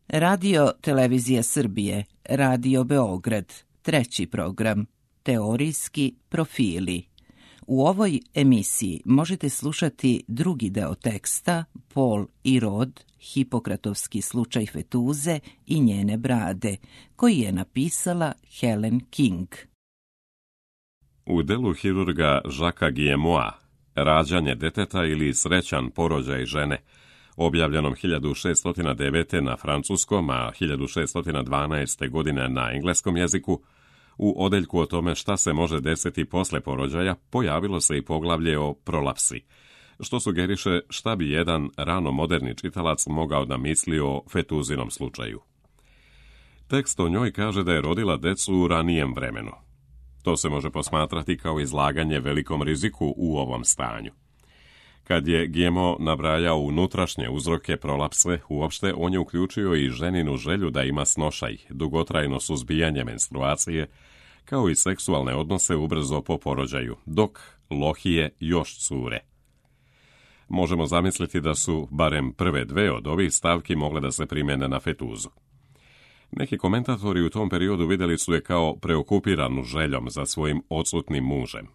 Radio Televizija Srbije, Radio Beograd, 3. program, Teorijski profili. U ovoj emisiji možete slušati drugi deo teksta Pol i rod, Hipokratovski slučaj fetuze i njene brade, koji je napisala Helen King. U delu hirurga Jacquesa Guillemoa, Rađanje deteta ili Srećan porođaj žene, objavljenom 1609. na francuskom, a 1612. godine na engleskom jeziku, u odeljku o tome šta se može desiti posle porođaja pojavilo se i poglavlje o prolapsi, što sugeriše šta bi jedan rano moderni čitalac mogao da misli o fetuzinom slučaju. Tekst o njoj kaže da je rodila decu u ranijem vremenu. To se može posmatrati kao izlaganje velikom riziku u ovom stanju. Kad je Guillemot nabrajao unutrašnje uzroke prolapse, uopšte on je uključio i ženinu želju da ima snošaj, dugotrajno suzbijanje menstruacije, kao i seksualne odnose ubrzo po porođaju, dok lohije još cure. Možemo zamisliti da su barem prve dve od ovih stavki mogle da se primene na fetuzu. Neki komentatori u tom periodu vidjeli su je kao preokupiranu željom za svojim odsutnim mužem.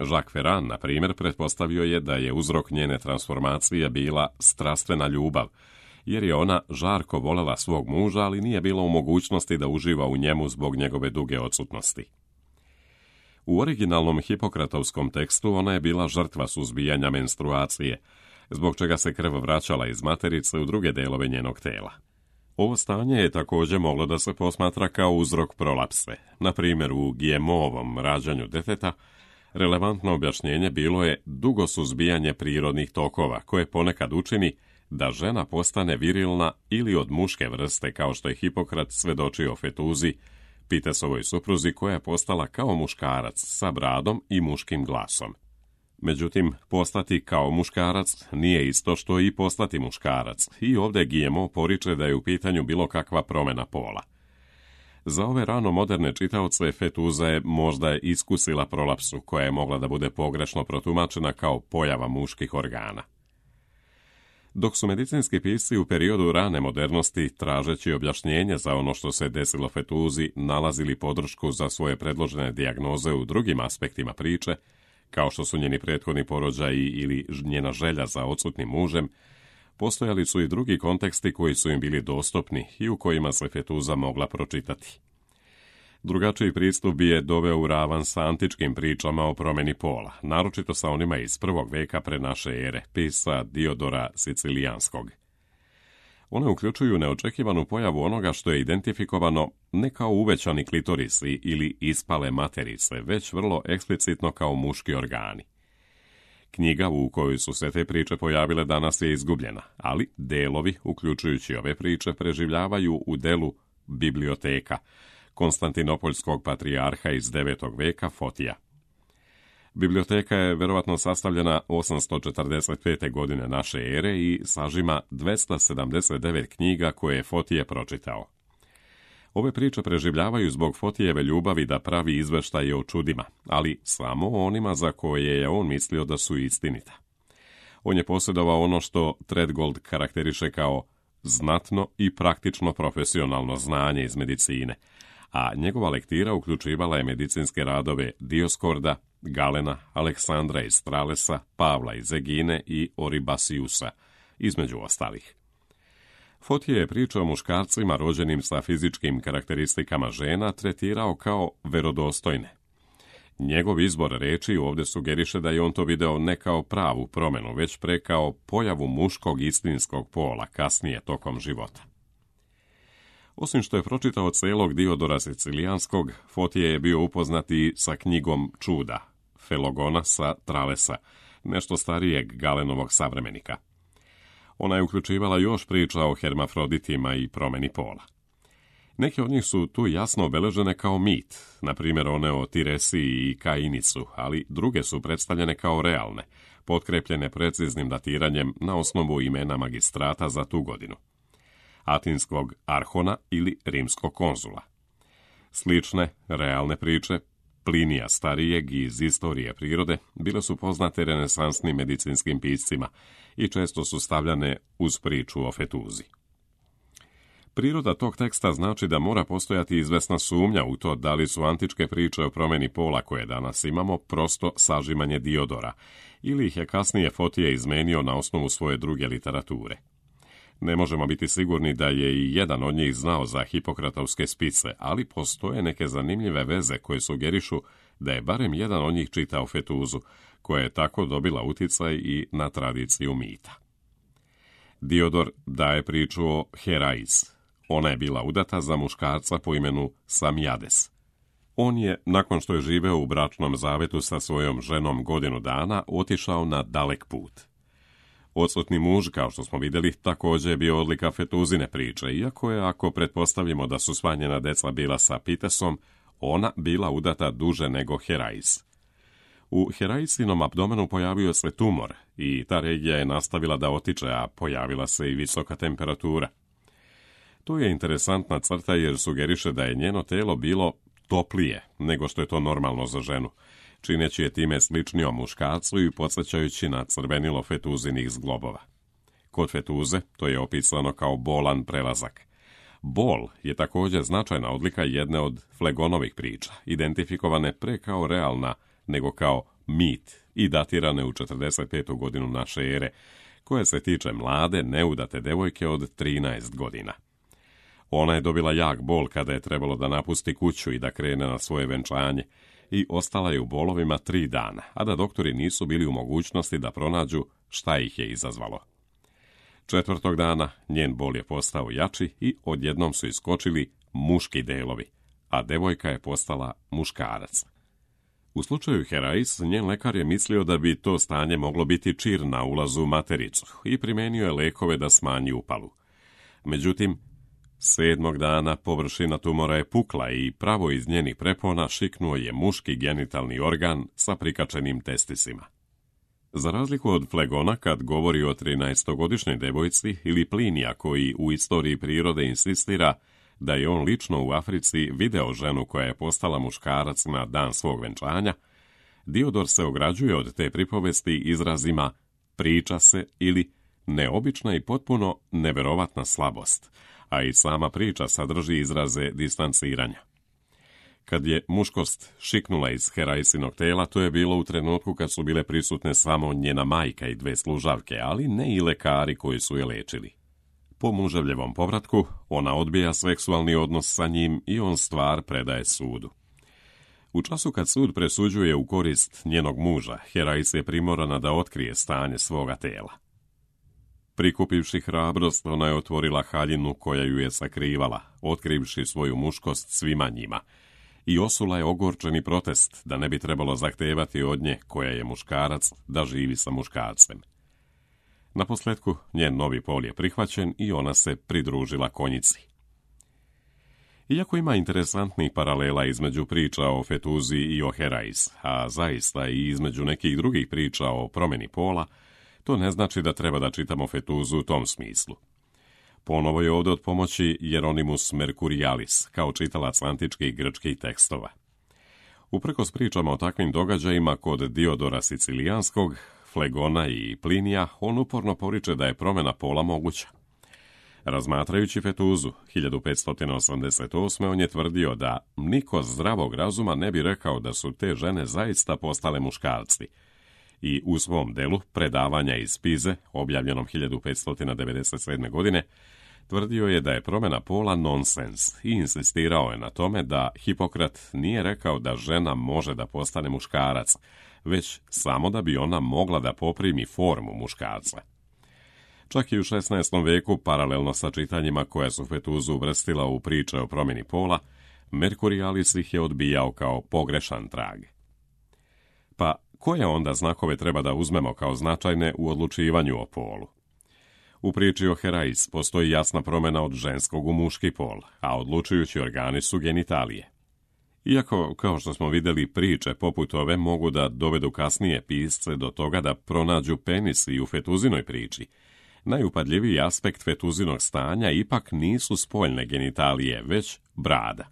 Jacques Ferrand, na primjer, pretpostavio je da je uzrok njene transformacije bila strastvena ljubav, jer je ona žarko voljela svog muža, ali nije bila u mogućnosti da uživa u njemu zbog njegove duge odsutnosti. U originalnom hipokratovskom tekstu ona je bila žrtva suzbijanja menstruacije, zbog čega se krv vraćala iz materice u druge delove njenog tela. Ovo stanje je također moglo da se posmatra kao uzrok prolapse. Na primjer, u Guillemotovom Rađanju deteta relevantno objašnjenje bilo je dugo suzbijanje prirodnih tokova, koje ponekad učini da žena postane virilna ili od muške vrste, kao što je Hipokrat svedočio o fetuzi, Pitesovoj supruzi, koja je postala kao muškarac sa bradom i muškim glasom. Međutim, postati kao muškarac nije isto što i postati muškarac, i ovdje Guillemot poriče da je u pitanju bilo kakva promjena pola. Za ove rano moderne čitaoce fetuza je možda iskusila prolapsu, koja je mogla da bude pogrešno protumačena kao pojava muških organa. Dok su medicinski pisci u periodu rane modernosti, tražeći objašnjenje za ono što se desilo fetuzi, nalazili podršku za svoje predložene dijagnoze u drugim aspektima priče, kao što su njeni prethodni porođaji ili njena želja za odsutnim mužem, postojali su i drugi konteksti koji su im bili dostupni i u kojima se fetuza mogla pročitati. Drugačiji pristup bi je doveo u ravan sa antičkim pričama o promjeni pola, naročito sa onima iz 1. veka pre naše ere, pisca Diodora Sicilijanskog. One uključuju neočekivanu pojavu onoga što je identifikovano ne kao uvećani klitorisi ili ispale materice, već vrlo eksplicitno kao muški organi. Knjiga u kojoj su se te priče pojavile danas je izgubljena, ali delovi, uključujući ove priče, preživljavaju u delu Biblioteka Konstantinopoljskog patrijarha iz 9. veka Fotija. Biblioteka je verovatno sastavljena 845. godine naše ere i sažima 279 knjiga koje je Fotije pročitao. Ove priče preživljavaju zbog Fotijeve ljubavi da pravi izveštaje o čudima, ali samo onima za koje je on mislio da su istinita. On je posjedovao ono što Treadgold karakteriše kao znatno i praktično profesionalno znanje iz medicine, a njegova lektira uključivala je medicinske radove Dioskorda, Galena, Aleksandra iz Stralesa, Pavla iz Egine i Oribasiusa, između ostalih. Fotije je priča o muškarcima rođenim sa fizičkim karakteristikama žena tretirao kao verodostojne. Njegov izbor reči ovdje sugeriše da je on to video ne kao pravu promjenu, već pre kao pojavu muškog istinskog pola kasnije tokom života. Osim što je pročitao celog Diodora Sicilijanskog, Fotije je bio upoznati sa knjigom Čuda, Felogona sa Tralesa, nešto starijeg Galenovog savremenika. Ona je uključivala još priča o hermafroditima i promjeni pola. Neke od njih su tu jasno obeležene kao mit, na primjer one o Tiresiji i Kainicu, ali druge su predstavljene kao realne, potkrepljene preciznim datiranjem na osnovu imena magistrata za tu godinu. Atinskog arhona ili rimskog konzula. Slične, realne priče Plinija starijeg iz istorije prirode bile su poznate renesansnim medicinskim piscima i često su stavljane uz priču o fetuzi. Priroda tog teksta znači da mora postojati izvesna sumnja u to da li su antičke priče o promjeni pola koje danas imamo prosto sažimanje Diodora, ili ih je kasnije Fotije izmenio na osnovu svoje druge literature. Ne možemo biti sigurni da je i jedan od njih znao za Hipokratovske spise, ali postoje neke zanimljive veze koje sugerišu da je barem jedan od njih čitao Fetuzu, koja je tako dobila uticaj i na tradiciju mita. Diodor daje priču o Herais. Ona je bila udata za muškarca po imenu Samijades. On je, nakon što je živeo u bračnom zavetu sa svojom ženom godinu dana, otišao na dalek put. Odsutni muž, kao što smo vidjeli, također je bio odlika Fetuzine priče, iako je, ako pretpostavimo da su sva njena deca bila sa Pitesom, ona bila udata duže nego Herais. U Heraisinom abdomenu pojavio se tumor i ta regija je nastavila da otiče, a pojavila se i visoka temperatura. To je interesantna crta jer sugeriše da je njeno telo bilo toplije nego što je to normalno za ženu, čineći je time sličnijom muškarcu i podsjećajući na crvenilo Fetuzinih zglobova. Kod Fetuze to je opisano kao bolan prelazak. Bol je također značajna odlika jedne od Flegonovih priča, identifikovane pre kao realna nego kao mit i datirane u 45. godinu naše ere, koje se tiče mlade, neudate devojke od 13 godina. Ona je dobila jak bol kada je trebalo da napusti kuću i da krene na svoje venčanje i ostala je u bolovima 3 dana, a da doktori nisu bili u mogućnosti da pronađu šta ih je izazvalo. 4. dana njen bol je postao jači i odjednom su iskočili muški delovi, a devojka je postala muškarac. U slučaju Herais, njen lekar je mislio da bi to stanje moglo biti čir na ulazu u matericu i primenio je lekove da smanji upalu. Međutim, 7. dana površina tumora je pukla i pravo iz njenih prepona šiknuo je muški genitalni organ sa prikačenim testisima. Za razliku od Flegona, kad govori o 13-godišnjoj devojci, ili Plinija koji u istoriji prirode insistira da je on lično u Africi video ženu koja je postala muškarac na dan svog venčanja, Diodor se ograđuje od te pripovesti izrazima priča se ili neobična i potpuno neverovatna slabost, a i sama priča sadrži izraze distanciranja. Kad je muškost šiknula iz Heraisinog tela, to je bilo u trenutku kad su bile prisutne samo njena majka i 2 služavke, ali ne i lekari koji su je lečili. Po muževljevom povratku, ona odbija seksualni odnos sa njim i on stvar predaje sudu. U času kad sud presuđuje u korist njenog muža, Herais je primorana da otkrije stanje svoga tela. Prikupivši hrabrost, ona je otvorila haljinu koja ju je sakrivala, otkrivši svoju muškost svima njima, i osula je ogorčeni protest da ne bi trebalo zahtevati od nje, koja je muškarac, da živi sa muškarcem. Naposljetku, njen novi pol je prihvaćen i ona se pridružila konjici. Iako ima interesantnih paralela između priča o Fetuzi i o Herais, a zaista i između nekih drugih priča o promjeni pola, to ne znači da treba da čitamo Fetuzu u tom smislu. Ponovo je ovdje od pomoći Jeronimus Mercurialis, kao čitalac antičkih grčkih tekstova. Uprkos pričama o takvim događajima kod Diodora Sicilijanskog, Flegona i Plinija, on uporno poriče da je promjena pola moguća. Razmatrajući Fetuzu 1588. on je tvrdio da niko zdravog razuma ne bi rekao da su te žene zaista postale muškarci. I u svom delu Predavanja iz Pize, objavljenom 1597. godine, tvrdio je da je promjena pola nonsens i insistirao je na tome da Hipokrat nije rekao da žena može da postane muškarac, već samo da bi ona mogla da poprimi formu muškarca. Čak i u 16. veku, paralelno sa čitanjima koja su Fetuzu uvrstila u priče o promjeni pola, Mercurialis ih je odbijao kao pogrešan trag. Pa koje onda znakove treba da uzmemo kao značajne u odlučivanju o polu? U priči o Herais postoji jasna promjena od ženskog u muški pol, a odlučujući organi su genitalije. Iako, kao što smo vidjeli, priče poput ove mogu da dovedu kasnije pisce do toga da pronađu penis i u Fetuzinoj priči, najupadljiviji aspekt Fetuzinog stanja ipak nisu spoljne genitalije, već brada.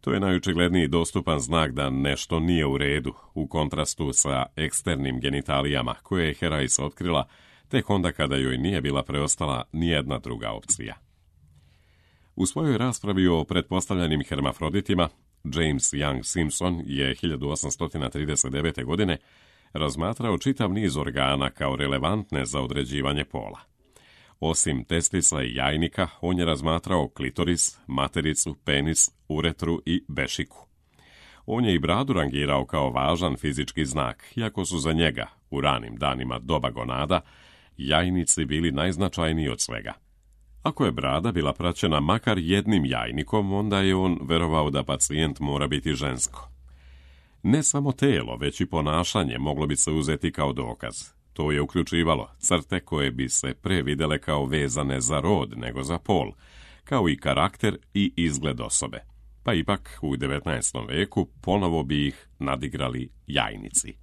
To je najočigledniji dostupan znak da nešto nije u redu, u kontrastu sa eksternim genitalijama koje je Herais otkrila tek onda kada joj nije bila preostala nijedna druga opcija. U svojoj raspravi o pretpostavljenim hermafroditima, James Young Simpson je 1839. godine razmatrao čitav niz organa kao relevantne za određivanje pola. Osim testisa i jajnika, on je razmatrao klitoris, matericu, penis, uretru i bešiku. On je i bradu rangirao kao važan fizički znak, iako su za njega, u ranim danima doba gonada, jajnici bili najznačajniji od svega. Ako je brada bila praćena makar jednim jajnikom, onda je on verovao da pacijent mora biti žensko. Ne samo telo, već i ponašanje moglo bi se uzeti kao dokaz. To je uključivalo crte koje bi se pre videle kao vezane za rod nego za pol, kao i karakter i izgled osobe. Pa ipak u 19. veku ponovo bi ih nadigrali jajnici.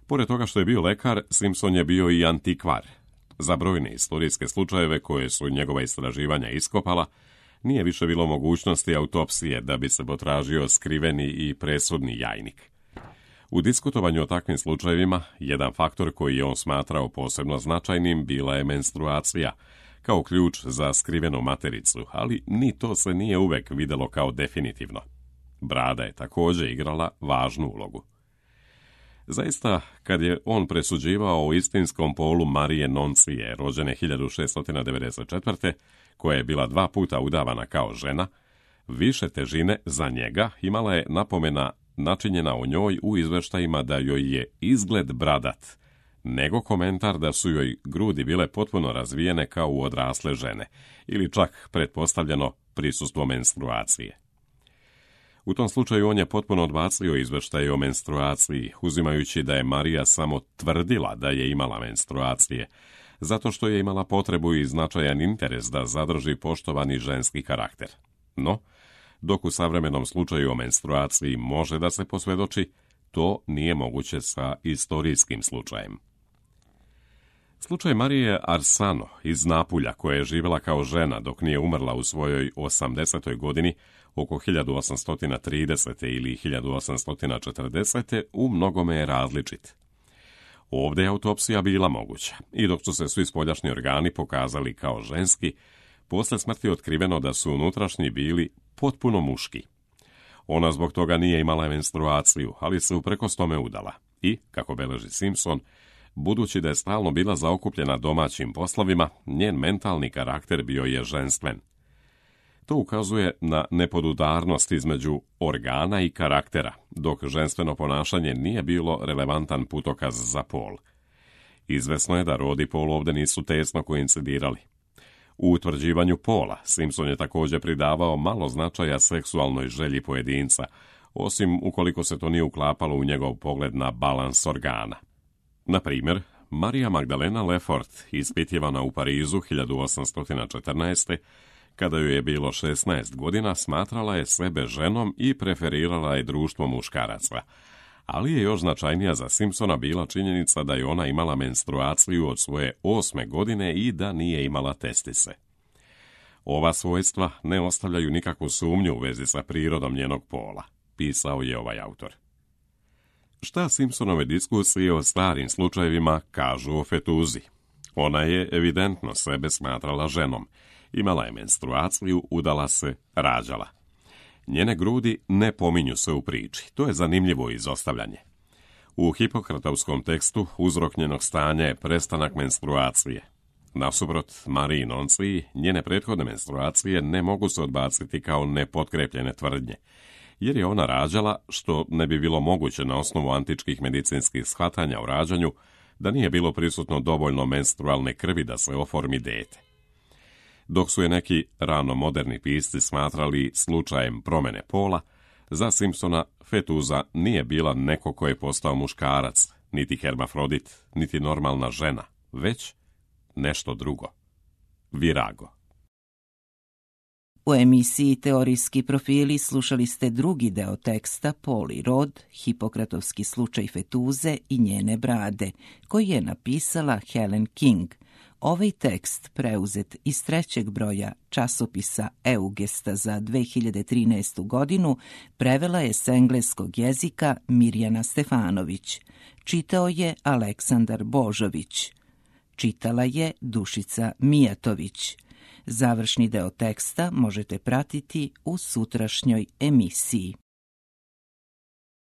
Pored toga što je bio lekar, Simpson je bio i antikvar. Za brojne istorijske slučajeve koje su njegova istraživanja iskopala, nije više bilo mogućnosti autopsije da bi se potražio skriveni i presudni jajnik. U diskutovanju o takvim slučajevima, jedan faktor koji je on smatrao posebno značajnim bila je menstruacija, kao ključ za skrivenu matericu, ali ni to se nije uvek videlo kao definitivno. Brada je također igrala važnu ulogu. Zaista, kad je on presuđivao o istinskom polu Marije Noncije, rođene 1694. koja je bila 2 puta udavana kao žena, više težine za njega imala je napomena načinjena o njoj u izveštajima da joj je izgled bradat, nego komentar da su joj grudi bile potpuno razvijene kao u odrasle žene, ili čak pretpostavljeno prisustvo menstruacije. U tom slučaju on je potpuno odbacio izveštaje o menstruaciji, uzimajući da je Marija samo tvrdila da je imala menstruacije, zato što je imala potrebu i značajan interes da zadrži poštovani ženski karakter. No, dok u savremenom slučaju o menstruaciji može da se posvjedoči, to nije moguće sa istorijskim slučajem. Slučaj Marije Arsano iz Napulja, koja je živjela kao žena dok nije umrla u svojoj 80. godini, oko 1830. ili 1840. u mnogome je različit. Ovdje je autopsija bila moguća i dok su se svi spoljašnji organi pokazali kao ženski, posle smrti je otkriveno da su unutrašnji bili potpuno muški. Ona zbog toga nije imala menstruaciju, ali se uprkos tome udala i, kako beleži Simpson, budući da je stalno bila zaokupljena domaćim poslovima, njen mentalni karakter bio je ženstven. To ukazuje na nepodudarnost između organa i karaktera, dok ženstveno ponašanje nije bilo relevantan putokaz za pol. Izvesno je da rod i pol ovdje nisu tesno koincidirali. U utvrđivanju pola Simpson je također pridavao malo značaja seksualnoj želji pojedinca, osim ukoliko se to nije uklapalo u njegov pogled na balans organa. Na primjer, Marija Magdalena Lefort, ispitivana u Parizu 1814. kada joj je bilo 16 godina, smatrala je sebe ženom i preferirala je društvo muškaraca, ali je još značajnija za Simpsona bila činjenica da je ona imala menstruaciju od svoje 8. godine i da nije imala testise. Ova svojstva ne ostavljaju nikakvu sumnju u vezi sa prirodom njenog pola, pisao je ovaj autor. Šta Simpsonove diskusije o starim slučajevima kažu o fetuzi? Ona je evidentno sebe smatrala ženom, imala je menstruaciju, udala se, rađala. Njene grudi ne pominju se u priči, to je zanimljivo izostavljanje. U Hipokratovskom tekstu uzrok njenog stanja je prestanak menstruacije. Nasuprot Mariji Nonciji, njene prethodne menstruacije ne mogu se odbaciti kao nepotkrepljene tvrdnje, jer je ona rađala, što ne bi bilo moguće na osnovu antičkih medicinskih shvatanja o rađanju, da nije bilo prisutno dovoljno menstrualne krvi da se oformi dete. Dok su je neki rano moderni pisci smatrali slučajem promjene pola, za Simpsona fetuza nije bila neko ko je postao muškarac, niti hermafrodit, niti normalna žena, već nešto drugo. Virago. U emisiji Teorijski profili slušali ste drugi deo teksta Pol i rod, Hipokratovski slučaj fetuze i njene brade, koji je napisala Helen King. Ovaj tekst, preuzet iz 3. broja časopisa Eugesta za 2013. godinu, prevela je s engleskog jezika Mirjana Stefanović. Čitao je Aleksandar Božović. Čitala je Dušica Mijatović. Završni deo teksta možete pratiti u sutrašnjoj emisiji.